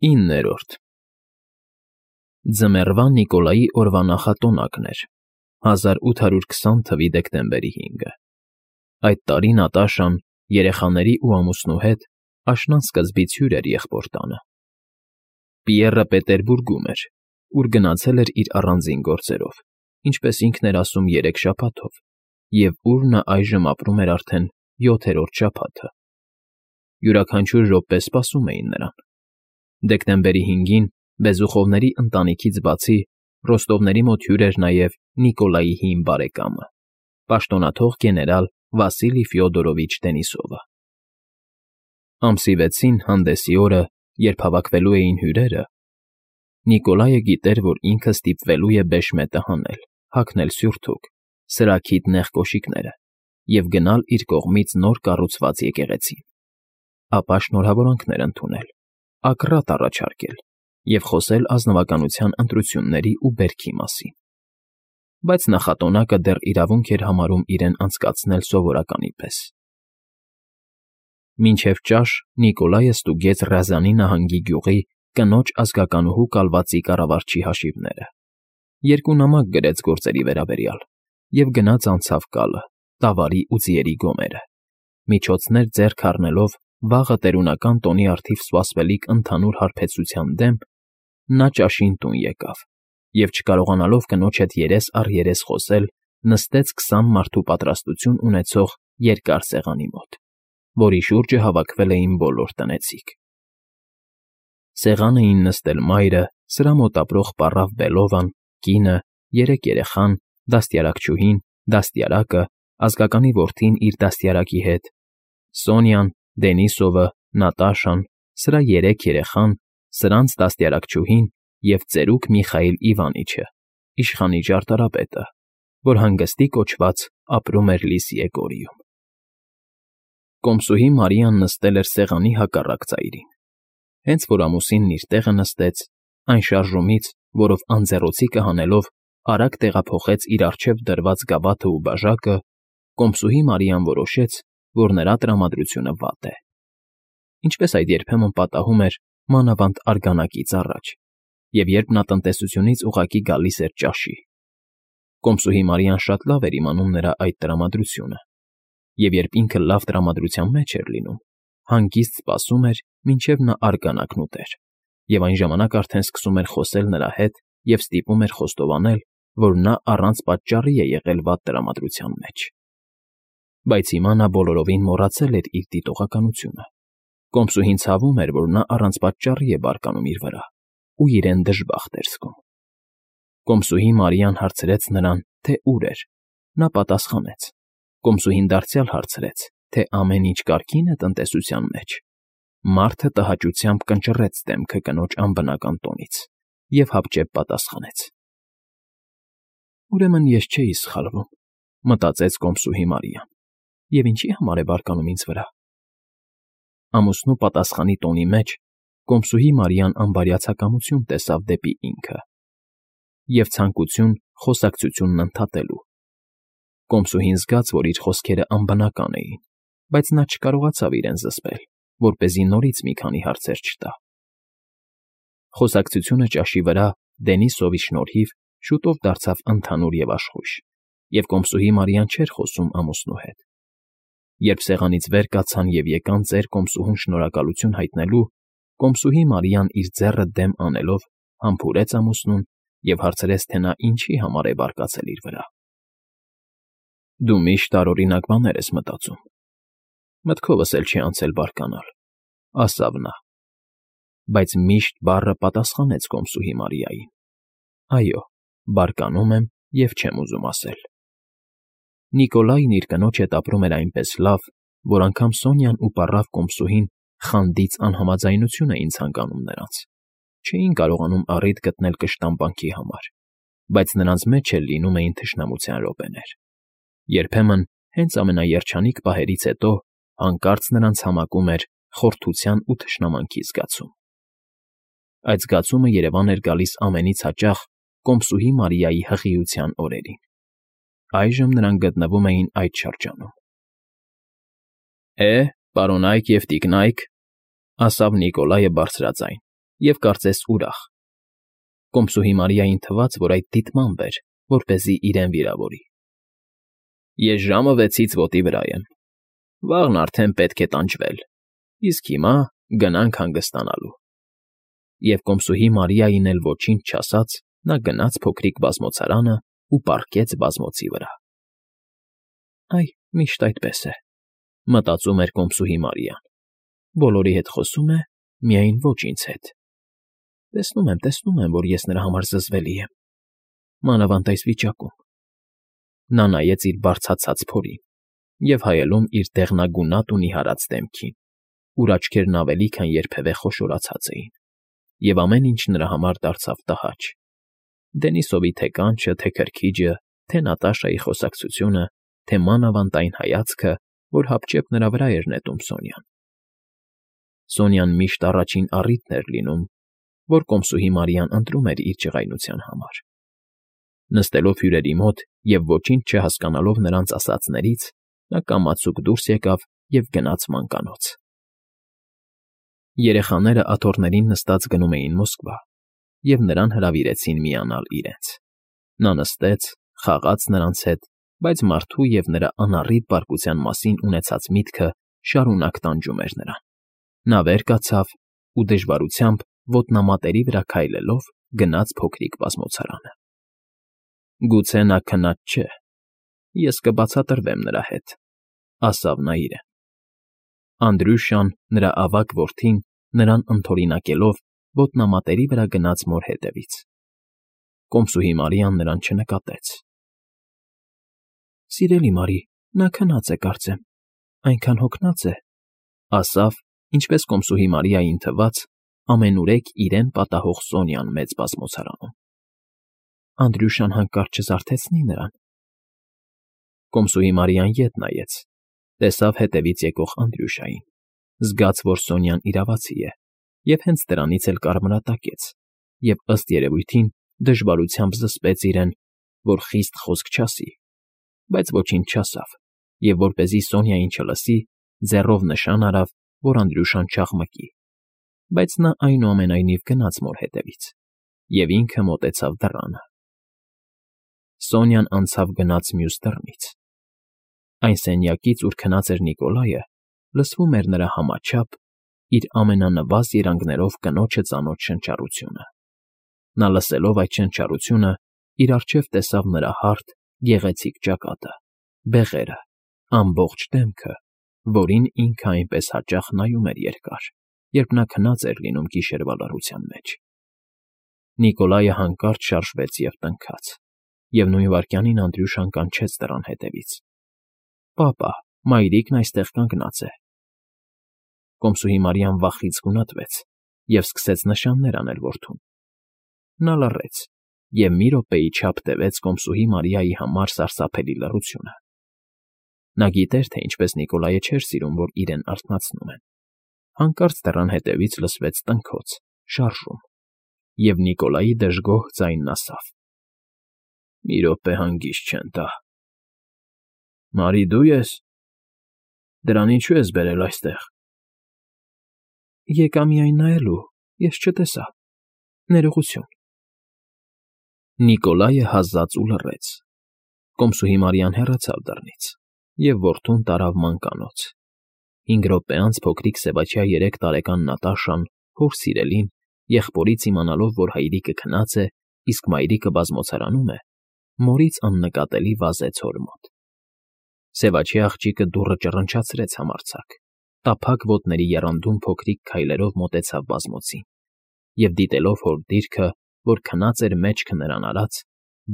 9-րդ Ձմեռվա Նիկոլայի օրվա նախատոնակն էր, 1820 թվականի դեկտեմբերի 5-ը։ Այդ տարի Նատաշան երեխաների ու ամուսնու հետ աշնան սկզբից հյուր էր եղբոր տանը։ Պիեռը Պետերբուրգում էր, ուր գնացել էր իր առանձին գործերով, ինչպես ինքն էր ասում 3 շաբաթով, և ուր նա այժմ ապրում էր արդեն 7-րդ շաբաթը։ Յուրաքանչյուր րոպե սպասում էին նրան։ Դեկտեմբերի 5-ին Բեզուխովների ընտանիքից բացի Ռոստովների մոտ հյուր էր նաև Նիկոլայի հին բարեկամը, պաշտոնաթող գեներալ Վասիլի Ֆյոդորովիչ Դենիսովը։ Ամսի 6-ին հանդեսի օրը, երբ հավաքվելու էին հյուրերը, Նիկոլայը գիտեր, որ ինքը ստիպվելու է բեշմետը հանել, հագնել սյուրթուք, սրաքիթ նեղ կոշիկները և գնալ իր կողմից նոր կառուցված եկեղեցին, ապա շնորհավորանքներ ընդունել, ակռատ առաջարկել և խոսել ազնվականության ընտրությունների ու բերքի մասին։ Բայց նախատոնակը դեռ իրավունք էր համարում իրեն անցկացնել սովորականի պես։ Մինչև ճաշ Նիկոլայը ստուգեց Ռազանի նահանգի գյուղի կնոջ ազգականուհու կալվածի կառավարչի հաշիվները, 2 նամակ գրեց գործերի վերաբերյալ և գնաց անցավ կալը, տավարի ու ձիերի գոմերը, միջոցներ ձեռք առնելով վաղը տերունական տոնի առթիվ սպասվելիք ընդհանուր հարբեցության դեմ, նա ճաշին տուն եկավ և, չկարողանալով կնոջ հետ երես առ երես խոսել, նստեց 20 մարդու պատրաստություն ունեցող երկար սեղանի մոտ, որի շուրջը հավաքվել էին բոլոր տնեցիք։ Սեղան էին նստել մայրը, սրա մոտ ապրող պառավ Բելովան, կինը, 3 երեխան, դաստիարակչուհին, դաստիարակը, ազգականի որդին իր դաստիարակի հետ, Սոնյան, Դենիսովը, Նատաշան, սրա 3 երեխան, սրանց դաստիարակչուհին և ծերուկ Միխայիլ Իվանիչը, իշխանի ճարտարապետը, որ հանգստի կոչված ապրում էր Լիսիեգորիում։ Կոմսուհի Մարիան նստել էր սեղանի հակառակ ծայրին։ Հենց որ ամուսինն իր տեղը նստեց, այն շարժումից, որով անձեռոցիկը հանելով արագ տեղափոխեց իր առջև դրված գավաթն ու բաժակը, կոմսուհի Մարիան որոշեց, որ նրա տրամադրությունը վատ է։ Ինչպես այդ երբեմն պատահում էր մանավանդ արգանակից առաջ, և երբ նա տնտեսությունից ուղղակի գալիս էր ճաշի։ Կոմսուհի Մարիան շատ լավ էր իմանում նրա այդ տրամադրությունը, և երբ ինքը լավ տրամադրության մեջ էր լինում, հանգիստ սպասում էր, մինչև նա արգանակն ուտեր, և այն ժամանակ արդեն սկսում էր խոսել նրա հետ և ստիպում էր խոստովանել, որ նա առանց պատճառի է եղել վատ տրամադրության մեջ։ Բայց հիմա նա բոլորովին մոռացել էր իր դիտողականությունը։ Կոմսուհին ցավում էր, որ նա առանց պատճառի է բարկանում իր վրա ու իրեն դժբախտ էր զգում։ Կոմսուհի Մարիան հարցրեց նրան, թե ուր էր։ Նա պատասխանեց։ Կոմսուհին դարձյալ հարցրեց, թե ամեն ինչ կարգին է տնտեսության մեջ։ Մարդը տհաճությամբ կնճռեց դեմքը կնոջ անբնական տոնից և հապճեպ պատասխանեց. «Ուրեմն ես չէի սխալվում», մտածեց կոմսուհի Մարիան, և ինչի համար է բարկանում ինձ վրա։ Ամուսնու պատասխանի տոնի մեջ կոմսուհի Մարիան անբարյացակամություն տեսավ դեպի ինքը և ցանկություն խոսակցությունն ընդհատելու։ Կոմսուհին զգաց, որ իր խոսքերը անբնական էին, բայց նա չկարողացավ իրեն զսպել, որպեսզի նորից մի քանի հարցեր չտա։ Խոսակցությունը ճաշի վրա Դենիսովի շնորհիվ շուտով դարձավ ընդհանուր և աշխույժ, և կոմսուհի Մարիան չէր խոսում ամուսնու հետ։ Երբ սեղանից վեր կացան և եկան ծեր կոմսուհուն շնորհակալություն հայտնելու, կոմսուհի Մարիան իր ձեռը դեմ անելով համբուրեց ամուսնուն և հարցրեց, թե նա ինչի համար է բարկացել իր վրա։ «Դու միշտ տարօրինակ բաներ ես մտածում, մտքովս էլ չի անցել բարկանալ», ասավ նա։ Բայց «միշտ» բառը պատասխանեց կոմսուհի Մարիային. «Այո, բարկանում եմ և չեմ ուզում ասել»։ Նիկոլայն իր կնոջ հետ ապրում էր այնպես լավ, որ անգամ Սոնյան ու պառավ կոմսուհին խանդից անհամաձայնություն էին ցանկանում նրանց, չէին կարողանում առիթ գտնել կշտամբանքի համար, բայց նրանց մեջ էլ լինում էին թշնամության րոպեներ։ Երբեմն, հենց ամենաերջանիկ պահերից հետո, հանկարծ նրանց համակում էր խորթության ու թշնամանքի զգացում։ Այդ զգացումը երևան էր գալիս ամենից հաճախ կոմսուհի Մարիայի հղիության օրերին։ Այժմ նրանք գտնվում էին այդ շրջանում։ «Պարոնայք և տիկնայք», ասավ Նիկոլայը բարձրաձայն, և կարծես ուրախ։ Կոմսուհի Մարիային թվաց, որ այդ դիտմամբ էր, որպեսզի իրեն վիրավորի։ Ես ժամը 6-ից ոտի վրա եմ։ Վաղն արդեն պետք է տանջվել, իսկ հիմա գնանք հանգստանալու։ Եվ կոմսուհի Մարիային էլ ոչինչ չասած, նա գնաց փոքրիկ բազմոցարանը ու պառկեց բազմոցի վրա։ Այ, միշտ այդպես է, մտածում էր կոմսուհի Մարիան։ Բոլորի հետ խոսում է, միայն ոչ ինձ հետ։ Տեսնում եմ, որ ես նրա համար զզվելի եմ, մանավանդ այս վիճակում։ Նա նայեց իր բարձրացած փորին և հայելում իր դեղնագունատ ու նիհարած դեմքին, ուր աչքերն ավելի քան երբևէ խոշորացած էին, և ամեն ինչ նրա համար դարձավ տհաճ. Դենիսովի թե կանչը, թե քրքիջը, թե Նատաշայի խոսակցությունը, թե մանավանդ այն հայացքը, որ հապճեպ նրա վրա էր նետում Սոնյան։ Սոնյան միշտ առաջին առիթն էր լինում, որ կոմսուհի Մարիան ընտրում էր իր ջղայնության համար։ Նստելով հյուրերի մոտ և ոչինչ չհասկանալով նրանց ասածներից, նա կամացուկ դուրս եկավ և գնաց մանկանոց։ Երեխաները աթոռներին նստած գնում էին Մոսկվա, և նրան հրավիրեցին միանալ իրենց։ Նա նստեց, խաղաց նրանց հետ, բայց մարդու և նրա անառիթ բարկության մասին ունեցած միտքը շարունակ տանջում էր նրան։ Նա վեր կացավ ու դժվարությամբ ոտնամատերի վրա քայլելով գնաց փոքրիկ բազմոցարանը։ Գուցե նա քնած չէ, ես կբացատրվեմ նրա հետ, ասավ նա իրեն։ Անդրյուշան, նրա ավագ որդին, նրան ընդօրինակելով, ոտնամատերի վրա գնաց մոր հետևից։ Կոմսուհի Մարիան նրան չնկատեց։ Սիրելի Մարի, նա քնած է, կարծեմ, այնքան հոգնած է, ասավ, ինչպես կոմսուհի Մարիային թվաց, ամենուրեք իրեն պատահող Սոնյան մեծ բազմոցարանում։ Անդրյուշան հանկարծ չզարթեցնի նրան։ Կոմսուհի Մարիան ետ նայեց, տեսավ հետևից եկող Անդրյուշային, զգաց, որ Սոնյան իրավացի է, և հենց դրանից էլ կարմրատակեց, և, ըստ երևույթին, դժվարությամբ զսպեց իրեն, որ խիստ խոսք չասի, բայց ոչինչ չասավ, և որպեսզի Սոնյային չլսի, ձեռով նշան արավ, որ Անդրյուշան չաղմկի, բայց նա այնուամենայնիվ գնաց մոր հետևից, և ինքը մոտեցավ դռանը։ Սոնյան անցավ գնաց մյուս դռնից։ Այն սենյակից, ուր քնած էր Նիկոլայը, լսվում էր նրա համաչափ, իր ամենանվազ երանգներով կնոջը ծանոթ շնչառությունը։ Նա լսելով այդ շնչառությունը, իր առջև տեսավ նրա հարթ, գեղեցիկ ճակատը, բեղերը, ամբողջ դեմքը, որին ինքը այնպես հաճախ նայում էր երկար, երբ նա քնած էր լինում գիշերվա լռության մեջ։ Նիկոլայը հանկարծ շարժվեց և տնքաց, և նույն վայրկյանին Անդրյուշան կանչեց դռան հետևից. «Պապա, մայրիկն այստեղ կանգնած է»։ Կոմսուհի Մարիան վախից գունատվեց և սկսեց նշաններ անել որդուն։ Նա լռեց և մի րոպեի չափ տևեց կոմսուհի Մարիայի համար սարսափելի լռությունը։ Նա գիտեր, թե ինչպես Նիկոլայը չէր սիրում, որ իրեն արթնացնում են։ Հանկարծ դռան հետևից լսվեց տնքոց, շարժում, և Նիկոլայի դժգոհ ձայնն ասավ. «Մի րոպե հանգիստ չեն տա»։ Մարի, դու ես։ Դրան ինչու ես բերել այստեղ։ Եկա միայն նայելու, ես չտեսա։ Ներողություն։ Նիկոլայը հազաց ու լռեց։ Կոմսուհի Մարիան հեռացավ դռնից, և որդուն տարավ մանկանոց։ 5 րոպե անց փոքրիկ սևաչյա 3 տարեկան Նատաշան, հոր սիրելին, եղբորից իմանալով, որ հայրիկը քնած է, իսկ մայրիկը բազմոցարանում է, մորից աննկատելի վազեց հոր մոտ։ Սևաչյա աղջիկը դուռը ճռնչացրեց համարձակ, տափակ ոտների եռանդուն փոքրիկ քայլերով մոտեցավ բազմոցին, և դիտելով հոր դիրքը, որ քնած էր մեջքը նրան արած,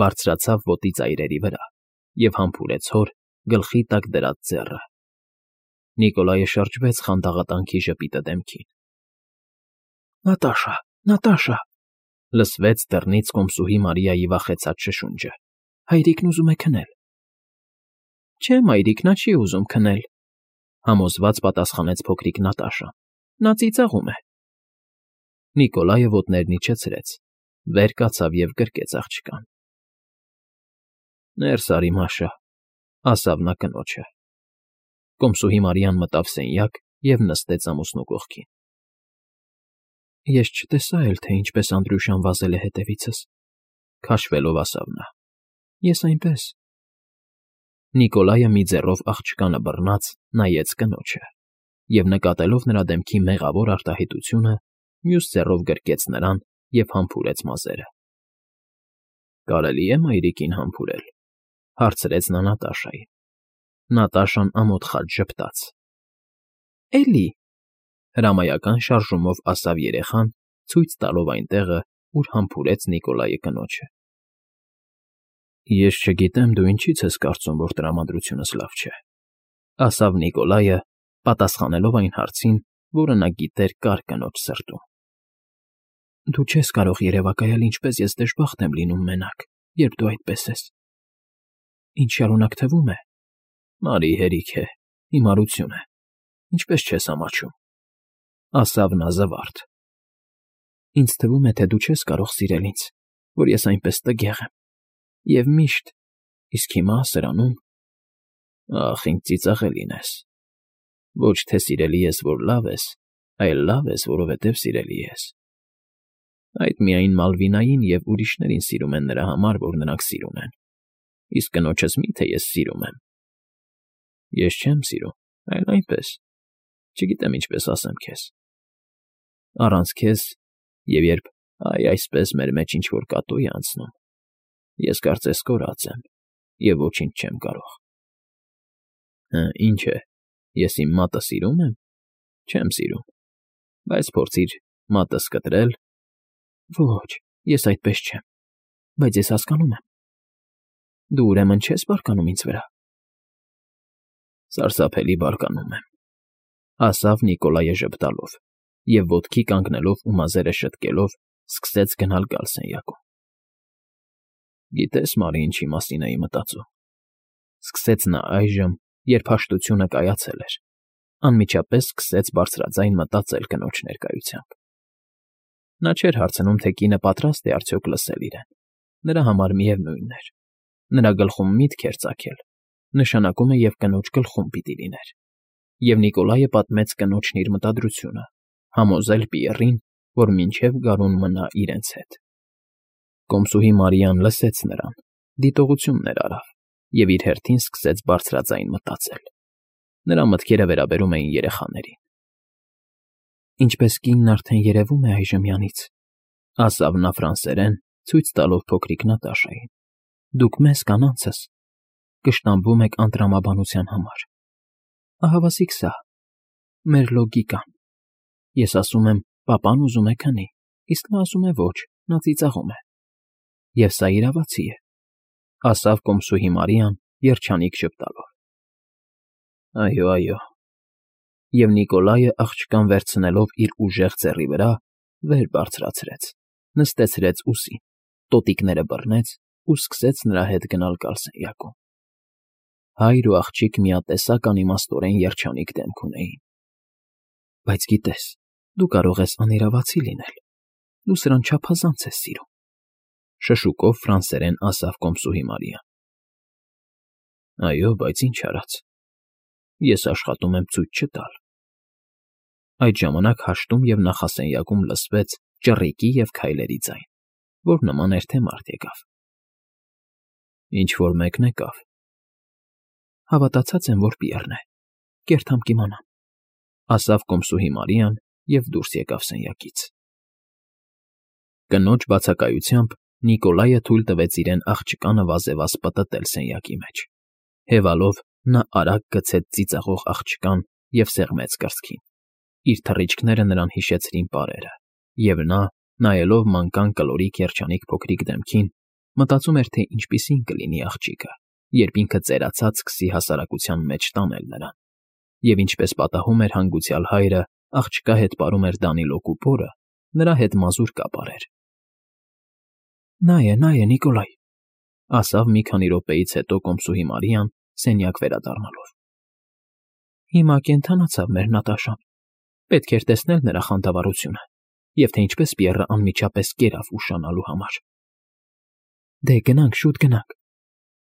բարձրացավ ոտի ծայրերի վրա և համբուրեց հոր գլխի տակ դրած ձեռը։ Նիկոլայը շրջվեց խանդաղատանքի ժպիտը դեմքին։ Նատաշա, Նատաշա, լսվեց դռնից կոմսուհի Մարիայի վախեցած շշունջը։ Հայրիկն ուզում է քնել։ Չէ, մայրիկ, նա չի ուզում քնել, համոզված պատասխանեց փոքրիկ Նատաշան։ Նա ծիծաղում է։ Նիկոլայը ոտներն իջեցրեց, վեր կացավ և գրկեց աղջկան։ Ներս արի, Մաշա, ասավ նա կնոջը։ Կոմսուհի Մարիան մտավ սենյակ և նստեց ամուսնու կողքին։ Ես չտեսա էլ, թե ինչպես Անդրյուշան վազել է հետևիցս,֊ քաշվելով ասավ նա։ Ես այնպես… Նիկոլայը մի ձեռով աղջկանը բռնած նայեց կնոջը և, նկատելով նրա դեմքի մեղավոր արտահայտությունը, մյուս ձեռով գրկեց նրան և համբուրեց մազերը։ «Կարելի է մայրիկին համբուրել,֊ հարցրեց նա Նատաշային։ Նատաշան ամոթխած ժպտաց։ «Էլի,֊ հրամայական շարժումով ասավ երեխան, ցույց տալով այն տեղը, ուր համբուրեց Նիկոլայը կնոջը։ Ես չգիտեմ, դու ինչից ես կարծում, որ տրամադրությունս լավ չէ,֊ ասավ Նիկոլայը, պատասխանելով այն հարցին, որը նա գիտեր կար կնոջ սրտում։ Դու չես կարող երևակայել, ինչպես ես դժբախտ եմ լինում մենակ, երբ դու այդպես ես։ Ինչ շարունակ թվում է… Մարի հերիք է, հիմարություն է, ինչպես չես ամաչում,֊ ասավ նա զվարթ։ Ինձ թվում է, թե դու չես կարող սիրել ինձ, որ ես այնպես տգեղ եմ, և միշտ… Իսկ հիմա սրանում… Ախ, ինձ ծիծաղելին ես… Ոչ թե սիրելի ես, որ լավ ես, այլ լավ ես, որովհետև սիրելի ես… Այդ միայն Մալվինային և ուրիշներին սիրում են նրա համար, որ նրանք սիրուն են… Իսկ կնոջս մի՞թե ես սիրում եմ… Ես չեմ սիրում, այլ այնպես… Չգիտեմ ինչպես ասեմ քեզ… Առանց քեզ, և երբ, այսպես մեր մեջ ինչ֊որ կատու է անցնում, ես կարծես կորած եմ և ոչինչ չեմ կարող… Հը, ինչ է, ես իմ մատը սիրում եմ… Չեմ սիրում… Բայց փորձիր մատս կտրել… Ոչ, ես այդպես չեմ, բայց ես հասկանում եմ… Դու ուրեմն չես բարկանում ինձ վրա… Սարսափելի բարկանում եմ,֊ ասավ Նիկոլայը ժպտալով և, ոտքի կանգնելով ու մազերը շտկելով, սկսեց գնալ֊գալ սենյակում։ Գիտես, Մարի, ինչի մասին էի մտածում,֊ սկսեց նա այժմ, երբ հաշտությունը կայացել էր, անմիջապես սկսեց բարձրաձայն մտածել կնոջ ներկայությամբ։ Նա չէր հարցնում, թե կինը պատրաստ է արդյոք լսել իրեն. նրա համար միևնույն էր։ Նրա գլխում միտք էր ծագել, նշանակում է և կնոջ գլխում պիտի լիներ։ Եվ Նիկոլայը պատմեց կնոջն իր մտադրությունը, համոզել Պիեռին, որ մինչև գարուն մնա իրենց հետ։ Կոմսուհի Մարիան լսեց նրան, դիտողություններ արավ և իր հերթին սկսեց բարձրաձայն մտածել։ Նրա մտքերը վերաբերում էին երեխաներին։ Ինչպես կինն արդեն երևում է այժմյանից,֊ ասավ նա ֆրանսերեն, ցույց տալով փոքրիկ Նատաշային,֊ դուք մեզ, կանանցս, կշտամբում եք անտրամաբանության համար… Ահավասիկ սա… մեր լոգիկան… Ես ասում եմ՝ պապան ուզում է քնի, իսկ նա ասում է՝ ոչ, նա ծիծաղում է… Եվ սա իրավացի է,֊ ասավ կոմսուհի Մարիան, երջանիկ ժպտալով։ Այո, այո… Եվ Նիկոլայը աղջկան վերցնելով իր ուժեղ ձեռի վրա, վեր բարձրացրեց, նստեցրեց ուսին, տոտիկները բռնեց ու սկսեց նրա հետ գնալ֊գալ սենյակում։ Հայր ու աղջիկ միատեսակ անիմաստորեն երջանիկ դեմք ունեին։ Բայց գիտես, դու կարող ես անիրավացի լինել, դու սրան չափազանց ես սիրում,֊ շշուկով ֆրանսերեն ասավ կոմսուհի Մարիան։ Այո, բայց ինչ արած… Ես աշխատում եմ ցույց չտալ… Այդ ժամանակ հաշտում և նախասենյակում լսվեց ճռռիկի և քայլերի ձայն, որ նման էր, թե մարդ եկավ։ Ինչ֊որ մեկն եկավ… Հավատացած եմ, որ Պիեռն է… Կերթամ կիմանամ,֊ ասավ կոմսուհի Մարիան և դուրս եկավ սենյակից։ Կնոջ բացակայությամբ Նիկոլայը թույլ տվեց իրեն աղջկանը վազևազ պտտել սենյակի մեջ։ Հևալով նա արագ գցեց ծիծաղող աղջկան և սեղմեց կրծքին։ Իր թռիչքները նրան հիշեցրին պարերը, և նա, նայելով մանկան կլորիկ երջանիկ փոքրիկ դեմքին, մտածում էր, թե ինչպիսին կլինի աղջիկը, երբ ինքը ծերացած սկսի հասարակության մեջ տանել նրան, և ինչպես պատահում էր հանգուցյալ հայրը աղջկա հետ պարում էր Դանիլոկու պորը, նրա հետ մազուր կապարեր։ Նա է, Նիկոլայ,֊ ասավ մի քանի րոպեից հետո կոմսուհի Մարիան, սենյակ վերադառնալով։ Հիմա կենդանացավ մեր Նատաշան… Պետք էր տեսնել նրա խանդավառությունը և թե ինչպես Պիեռը անմիջապես կերավ ուշանալու համար։ Դե գնանք, շուտ գնանք…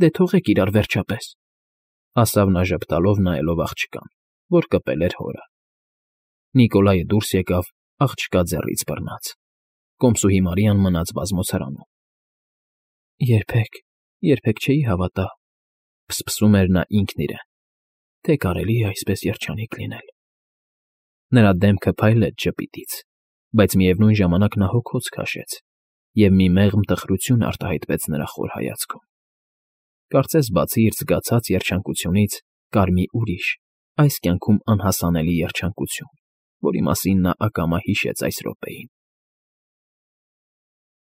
Դե թողեք իրար, վերջապես,֊ ասավ նա ժպտալով նայելով աղջկան, որ կպել էր հորը։ Նիկոլայը դուրս եկավ, աղջկա ձեռից բռնած։ Կոմսուհի Մարիան մնաց բազմոցարանում։ Երբեք չէի հավատա, փսփսում էր նա ինքն իրեն, թե կարելի է այսպես երջանիկ լինել։ Նրա դեմքը փայլեց ժպիտից, բայց միևնույն ժամանակ նա հոգոց քաշեց, և մի մեղմ տխրություն արտահայտվեց նրա խոր հայացքում։ Կարծես բացի իր զգացած երջանկությունից կար մի ուրիշ, այս կյանքում անհասանելի երջանկություն, որի մասին նա ակամա հիշեց այս րոպեին։